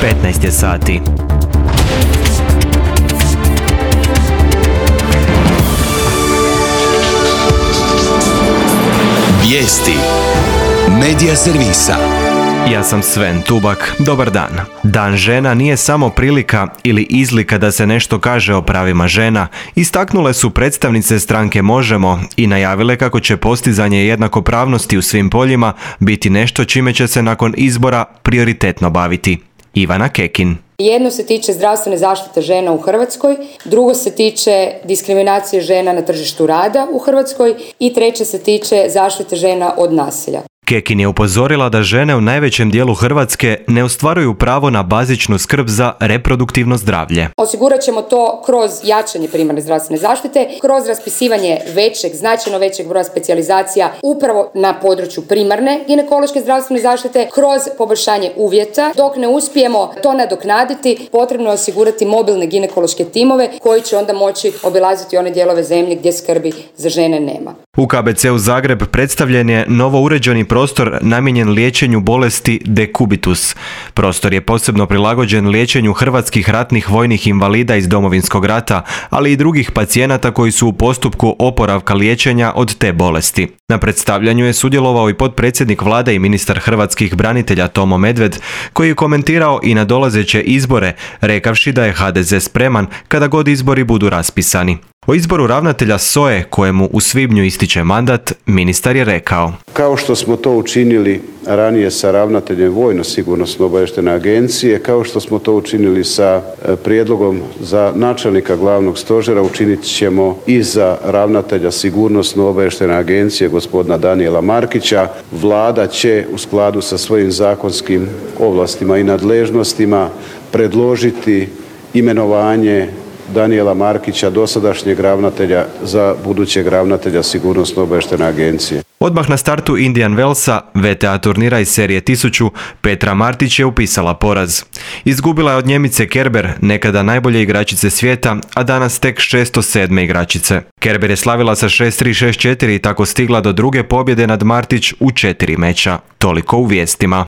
15 je sati. Vijesti Medija servisa. Ja sam Sven Tubak, dobar dan. Dan žena nije samo prilika ili izlika da se nešto kaže o pravima žena, istaknule su predstavnice stranke Možemo i najavile kako će postizanje jednakopravnosti u svim poljima biti nešto čime će se nakon izbora prioritetno baviti. Ivana Kekin. Jedno se tiče zdravstvene zaštite žena u Hrvatskoj, drugo se tiče diskriminacije žena na tržištu rada u Hrvatskoj i treće se tiče zaštite žena od nasilja. Kekin je upozorila da žene u najvećem dijelu Hrvatske ne ostvaruju pravo na bazičnu skrb za reproduktivno zdravlje. Osigurat ćemo to kroz jačanje primarne zdravstvene zaštite, kroz raspisivanje značajno većeg broja specijalizacija upravo na području primarne ginekološke zdravstvene zaštite, kroz poboljšanje uvjeta. Dok ne uspijemo to nadoknaditi, potrebno je osigurati mobilne ginekološke timove koji će onda moći obilaziti one dijelove zemlje gdje skrbi za žene nema. U KBC-u Zagreb predstavljen je novo uređeni prostor namijenjen liječenju bolesti dekubitus. Prostor je posebno prilagođen liječenju hrvatskih ratnih vojnih invalida iz Domovinskog rata, ali i drugih pacijenata koji su u postupku oporavka liječenja od te bolesti. Na predstavljanju je sudjelovao i potpredsjednik vlade i ministar hrvatskih branitelja Tomo Medved, koji je komentirao i nadolazeće izbore, rekavši da je HDZ spreman kada god izbori budu raspisani. O izboru ravnatelja SOA-e, kojemu u svibnju ističe mandat, ministar je rekao: Kao što smo to učinili ranije sa ravnateljem Vojno-sigurnosno-obavještajne agencije, kao što smo to učinili sa prijedlogom za načelnika glavnog stožera, učinit ćemo i za ravnatelja Sigurnosno-obavještajne agencije gospodina Danijela Markića. Vlada će u skladu sa svojim zakonskim ovlastima i nadležnostima predložiti imenovanje Danijela Markića, dosadašnjeg ravnatelja, za budućeg ravnatelja Sigurnosno-obavještajne agencije. Odmah na startu Indian Wellsa, VTA turnira iz serije 1000, Petra Martić je upisala poraz. Izgubila je od Njemice Kerber, nekada najbolje igračice svijeta, a danas tek 607. igračice. Kerber je slavila sa 6-3, 6-4 i tako stigla do druge pobjede nad Martić u 4 meča. Toliko u vijestima.